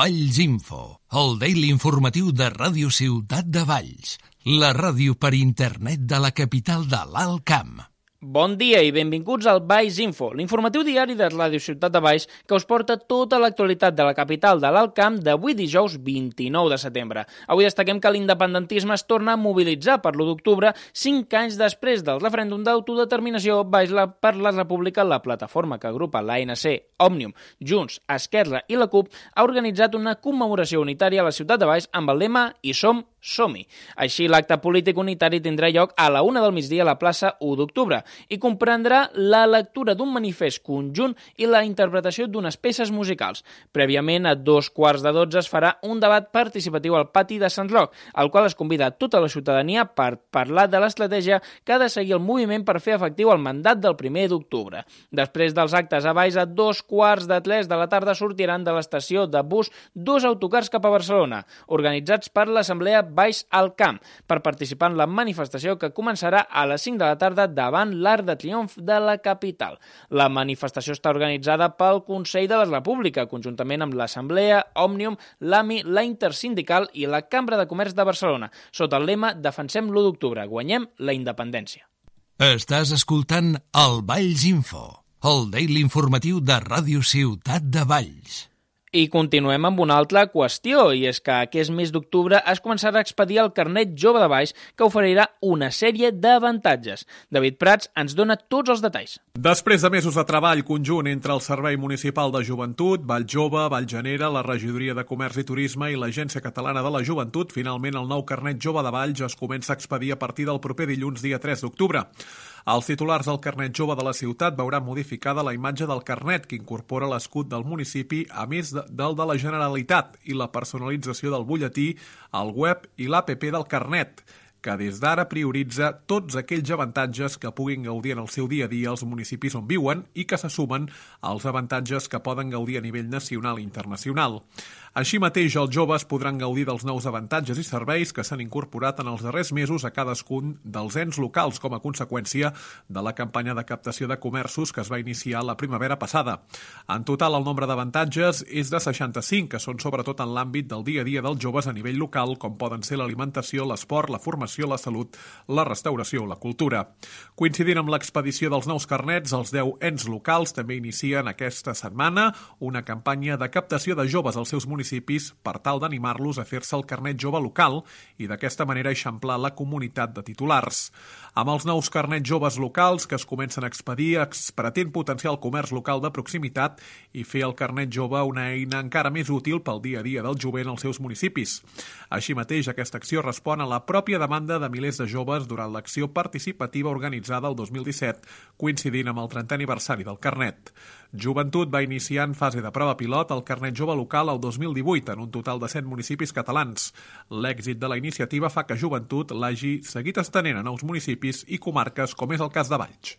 Valls Info, el daily informatiu de Ràdio Ciutat de Valls, la ràdio per internet de la capital de l'Alt Camp. Bon dia i benvinguts al Valls Info, l'informatiu diari de Ràdio Ciutat de Valls que us porta tota l'actualitat de la capital de l'Alt Camp d'avui dijous 29 de setembre. Avui destaquem que l'independentisme es torna a mobilitzar per l'1 d'octubre, 5 anys després del referèndum d'autodeterminació per la República. La plataforma que agrupa l'ANC, Òmnium, Junts, Esquerra i la CUP ha organitzat una commemoració unitària a la ciutat de Valls amb el lema "Hi som-hi". Així, l'acte polític unitari tindrà lloc a la 1 del migdia a la plaça 1 d'octubre i comprendrà la lectura d'un manifest conjunt i la interpretació d'unes peces musicals. Prèviament, a 11:15 es farà un debat participatiu al pati de Sant Roc, al qual es convida tota la ciutadania per parlar de l'estratègia que ha de seguir el moviment per fer efectiu el mandat del 1 d'octubre. Després dels actes a Valls, a 2:15 de la tarda sortiran de l'estació de bus 2 autocars cap a Barcelona, organitzats per l'Assemblea Valls al Camp, per participar en la manifestació que començarà a les 5 de la tarda davant l'Arc de Triomf de la capital. La manifestació està organitzada pel Consell de la República, conjuntament amb l'Assemblea, Òmnium, l'AMI, la Intersindical i la Cambra de Comerç de Barcelona, sota el lema "Defensem l'1 d'octubre, guanyem la independència". Estàs escoltant el Valls Info, el daily informatiu de Ràdio Ciutat de Valls. I continuem amb una altra qüestió, i és que aquest mes d'octubre es començarà a expedir el carnet jove de Valls, que oferirà una sèrie d'avantatges. David Prats ens dona tots els detalls. Després de mesos de treball conjunt entre el Servei Municipal de Joventut, Vall Jove, Vall Genera, la Regidoria de Comerç i Turisme i l'Agència Catalana de la Joventut, finalment el nou carnet jove de Valls es comença a expedir a partir del proper dilluns, dia 3 d'octubre. Els titulars del carnet jove de la ciutat veuran modificada la imatge del carnet, que incorpora l'escut del municipi, a més del de la Generalitat, i la personalització del butlletí, el web i l'APP del carnet, que des d'ara prioritza tots aquells avantatges que puguin gaudir en el seu dia a dia als municipis on viuen i que se sumen als avantatges que poden gaudir a nivell nacional i internacional. Així mateix, els joves podran gaudir dels nous avantatges i serveis que s'han incorporat en els darrers mesos a cadascun dels ens locals com a conseqüència de la campanya de captació de comerços que es va iniciar la primavera passada. En total, el nombre d'avantatges és de 65, que són sobretot en l'àmbit del dia a dia dels joves a nivell local, com poden ser l'alimentació, l'esport, la formació, la salut, la restauració o la cultura. Coincidint amb l'expedició dels nous carnets, els 10 ens locals també inicien aquesta setmana una campanya de captació de joves als seus municipis per tal d'animar-los a fer-se el carnet jove local i d'aquesta manera eixamplar la comunitat de titulars. Amb els nous carnets joves locals que es comencen a expedir, es pretén potenciar el comerç local de proximitat i fer el carnet jove una eina encara més útil pel dia a dia del jovent als seus municipis. Així mateix, aquesta acció respon a la pròpia demanda de milers de joves durant l'acció participativa organitzada el 2017, coincidint amb el 30è aniversari del carnet. Joventut va iniciar en fase de prova pilot el carnet jove local el 2018 en un total de 100 municipis catalans. L'èxit de la iniciativa fa que Joventut l'hagi seguit estenent a nous municipis i comarques, com és el cas de Valls.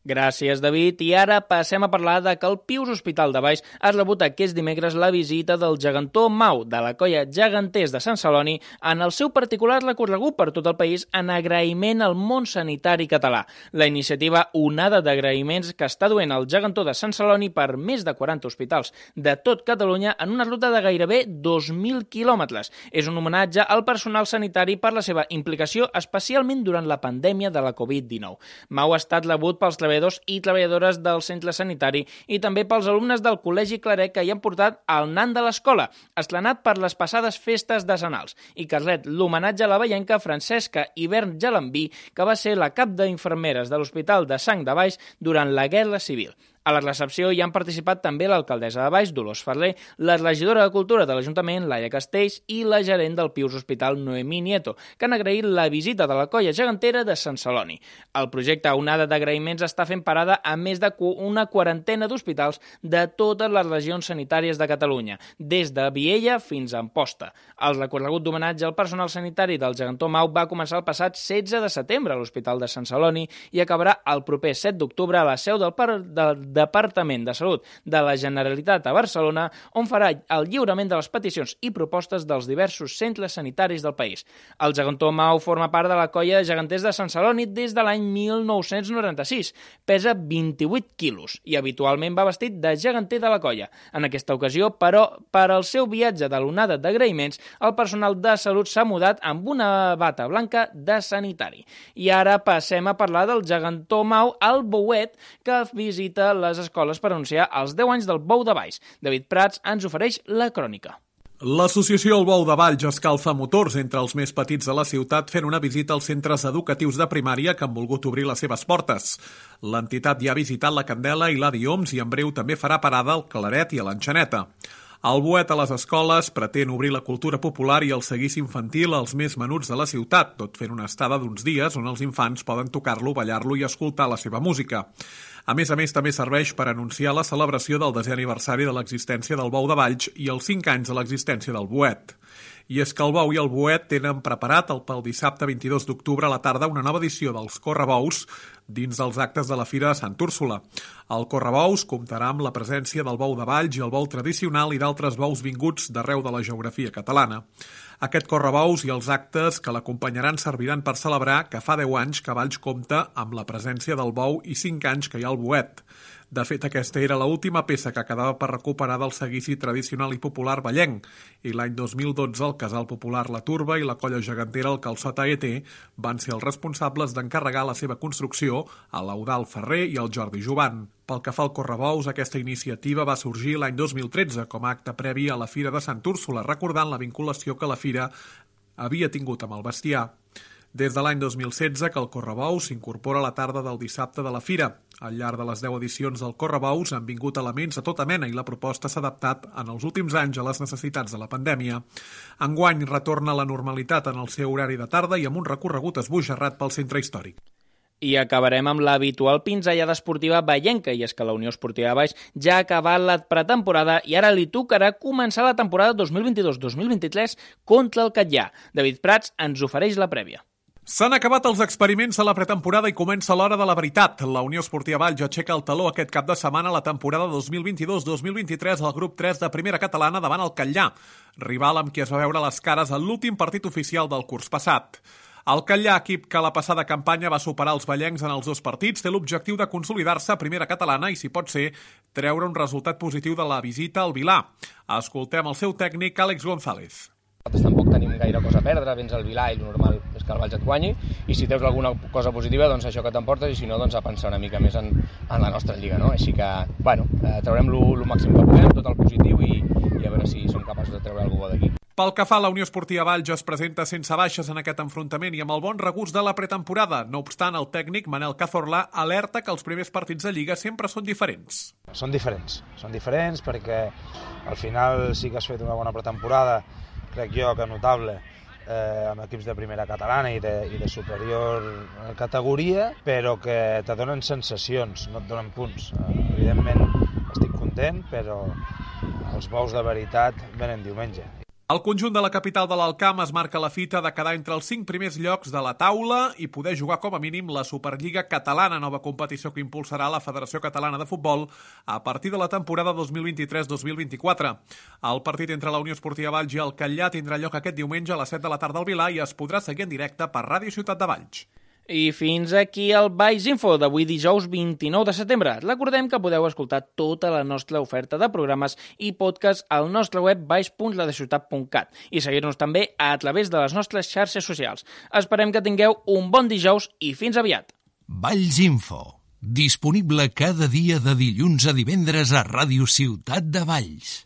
Gràcies, David. I ara passem a parlar de que el Pius Hospital de Valls ha rebut aquest dimecres la visita del gegantó Mau, de la colla Geganters de Sant Celoni, en el seu particular recorregut per tot el país en agraïment al món sanitari català. La iniciativa Onada d'agraïments que està duent el gegantó de Sant Celoni per més de 40 hospitals de tot Catalunya en una ruta de gairebé 2.000 quilòmetres. És un homenatge al personal sanitari per la seva implicació, especialment durant la pandèmia de la Covid-19. Mau ha estat rebut pels treballadors i treballadores del centre sanitari i també pels alumnes del Col·legi Claret que hi han portat el nan de l'escola, estrenat per les passades festes decenals, i que ret l'homenatge a la vallenca Francesca Hivern Gelambí, que va ser la cap d'infermeres de l'Hospital de Sang de Valls durant la Guerra Civil. A la recepció hi han participat també l'alcaldessa de Valls, Dolors Ferrer, la regidora de Cultura de l'Ajuntament, Laia Castells, i la gerent del Pius Hospital, Noemí Nieto, que han agraït la visita de la colla gegantera de Sant Celoni. El projecte Onada d'agraïments està fent parada a més d'una quarantena d'hospitals de totes les regions sanitàries de Catalunya, des de Viella fins a Amposta. El recorregut d'homenatge al personal sanitari del gegantó Mau va començar el passat 16 de setembre a l'Hospital de Sant Celoni i acabarà el proper 7 d'octubre a la seu del Departament de Salut de la Generalitat a Barcelona, on farà el lliurament de les peticions i propostes dels diversos centres sanitaris del país. El gegantó Mau forma part de la colla de geganters de Sant Celoni des de l'any 1996. Pesa 28 quilos i habitualment va vestit de geganter de la colla. En aquesta ocasió, però, per al seu viatge de l'onada d'agraïments, el personal de salut s'ha mudat amb una bata blanca de sanitari. I ara passem a parlar del gegantó Mau, el bouet, que visita les escoles per anunciar els 10 anys del Bou de Valls. David Prats ens ofereix la crònica. L'associació El Bou de Valls escalfa motors entre els més petits de la ciutat fent una visita als centres educatius de primària que han volgut obrir les seves portes. L'entitat ja ha visitat la Candela i l'Adi Oms i en breu també farà parada al Claret i a l'Enxaneta. El bouet a les escoles pretén obrir la cultura popular i el seguici infantil als més menuts de la ciutat, tot fent una estada d'uns dies on els infants poden tocar-lo, ballar-lo i escoltar la seva música. A més, també serveix per anunciar la celebració del 10è aniversari de l'existència del Bou de Valls i els 5 anys de l'existència del bouet. I és que el Bou i el bouet tenen preparat pel dissabte 22 d'octubre a la tarda una nova edició dels Correbous dins dels actes de la Fira de Sant Úrsula. El Correbous comptarà amb la presència del Bou de Valls i el bou tradicional i d'altres bous vinguts d'arreu de la geografia catalana. Aquest Correbous i els actes que l'acompanyaran serviran per celebrar que fa 10 anys que Valls compta amb la presència del bou i 5 anys que hi ha el bouet. De fet, aquesta era l'última peça que quedava per recuperar del seguici tradicional i popular vallenc, i l'any 2012 el Casal Popular La Turba i la colla gegantera el Calçot AET van ser els responsables d'encarregar la seva construcció a l'Eudald Ferrer i al Jordi Jovan. Pel que fa al Correbous, aquesta iniciativa va sorgir l'any 2013 com a acte previ a la Fira de Sant Úrsula, recordant la vinculació que la Fira havia tingut amb el bestiar. Des de l'any 2016 que el Correbous s'incorpora a la tarda del dissabte de la Fira. Al llarg de les 10 edicions del Correbous han vingut elements de tota mena i la proposta s'ha adaptat en els últims anys a les necessitats de la pandèmia. Enguany retorna a la normalitat en el seu horari de tarda i amb un recorregut esbojarrat pel centre històric. I acabarem amb l'habitual pinzellada esportiva vallenca, i és que la Unió Esportiva de Valls ja ha acabat la pretemporada i ara li tocarà començar la temporada 2022-2023 contra el Catllà. David Prats ens ofereix la prèvia. S'han acabat els experiments a la pretemporada i comença l'hora de la veritat. La Unió Esportiva Valls aixeca el taló aquest cap de setmana a la temporada 2022-2023 al grup 3 de Primera Catalana davant el Catllà, rival amb qui es va veure les cares en l'últim partit oficial del curs passat. El Catllà, equip que la passada campanya va superar els vallencs en els 2 partits, té l'objectiu de consolidar-se a Primera Catalana i, si pot ser, treure un resultat positiu de la visita al Vilà. Escoltem el seu tècnic, Àlex González. Nosaltres tampoc tenim gaire cosa a perdre, vens al Vilà i el normal és que el Valls et guanyi, i si treus alguna cosa positiva, doncs això que t'emportes, i si no, doncs a pensar una mica més en la nostra lliga, no? Així que, bueno, traurem el màxim que puguem, tot el positiu, i a veure si som capaços de treure alguna cosa d'aquí. Pel que fa a la Unió Esportiva Valls, es presenta sense baixes en aquest enfrontament i amb el bon regust de la pretemporada. No obstant, el tècnic Manel Cazorla alerta que els primers partits de Lliga sempre són diferents. Són diferents perquè al final sí que has fet una bona pretemporada, crec jo que notable, amb equips de primera catalana i de superior categoria, però que te donen sensacions, no et donen punts. Evidentment estic content, però els bous de veritat venen diumenge. El conjunt de la capital de l'Alt Camp es marca la fita de quedar entre els 5 primers llocs de la taula i poder jugar com a mínim la Superliga Catalana, nova competició que impulsarà la Federació Catalana de Futbol a partir de la temporada 2023-2024. El partit entre la Unió Esportiva Valls i el Catllà tindrà lloc aquest diumenge a les 7 de la tarda al Vilà i es podrà seguir en directe per Ràdio Ciutat de Valls. I fins aquí el Valls Info d'avui dijous 29 de setembre. Recordem que podeu escoltar tota la nostra oferta de programes i podcast al nostre web valls.ladeciutat.cat i seguir-nos també a través de les nostres xarxes socials. Esperem que tingueu un bon dijous i fins aviat. Valls Info, disponible cada dia de dilluns a divendres a Ràdio Ciutat de Valls.